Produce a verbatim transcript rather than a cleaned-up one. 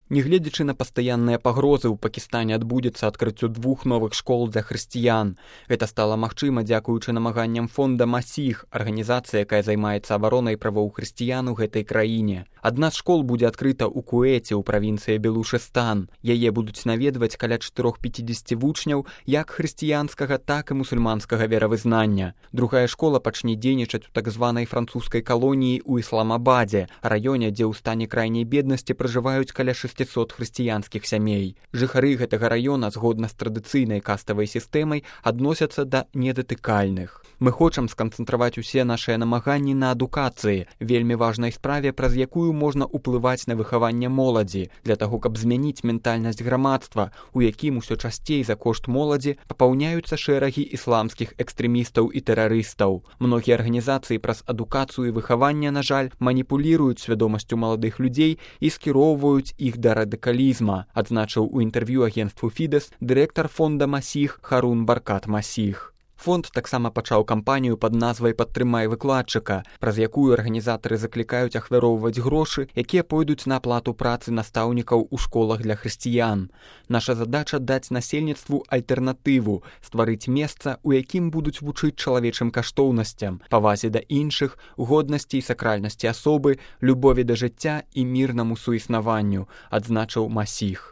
Нягледзячы на пастаянныя пагрозы, у Пакістане адбудзецца адкрыццё двух новых школ для хрысціян. Гэта стала магчыма дзякуючы намаганням фонда «Масіх», арганізацыя, якая займаецца абаронай правоў хрысціян у гэтай краіне. Адна з школ будзе адкрыта ў Куэце, у правінцыі Белушыстан. Яе будуць наведваць каля чатырох пяцідзесяці вучняў як хрысціянскага, так і мусульманскага веравызнання. Другая школа пачне дзейнічаць у так званай французскай калоніі ў Ісламабадзе, раёне, дзе ў стане крайняй беднасці пражываюць каля шэсцісот хрысціянскіх сямей. Жыхары гэтага раёна, згодна з традыцыйнай каставай сістэмай, адносяцца да недатыкальных. Мы хочам сканцэнтраваць усе нашыя намаганні на адукацыі, вельмі важнай справе, праз якую можна ўплываць на выхаванне моладзі, для таго, каб змяніць ментальнасць грамадства, у якім усё часцей за кошт моладзі папаўняюцца шэрагі ісламскіх экстрэмістаў і тэрарыстаў. Многія арганізацыі праз адукацыю і выхаванне, на жаль, маніпуліруюць свядомасцю маладых людзей і скіроўваюць іх да радыкалізма, адзначыў у інтэрв'ю агенцтву «Фідэс» дырэктар фонда «Масіх» Харун Баркат Масіх. Фонд таксама пачаў кампанію пад назвай «Падтрымай выкладчыка», праз якую арганізатары заклікаюць ахвяроўваць грошы, якія пойдуць на аплату працы настаўнікаў у школах для хрысціян. Наша задача даць насельніцтву альтэрнатыву, стварыць месца, у якім будуць вучыць чалавечым каштоўнасцям, павазе да іншых, годнасці і сакральнасці асобы, любові да жыцця і мірнаму суіснаванню, адзначыў Масіх.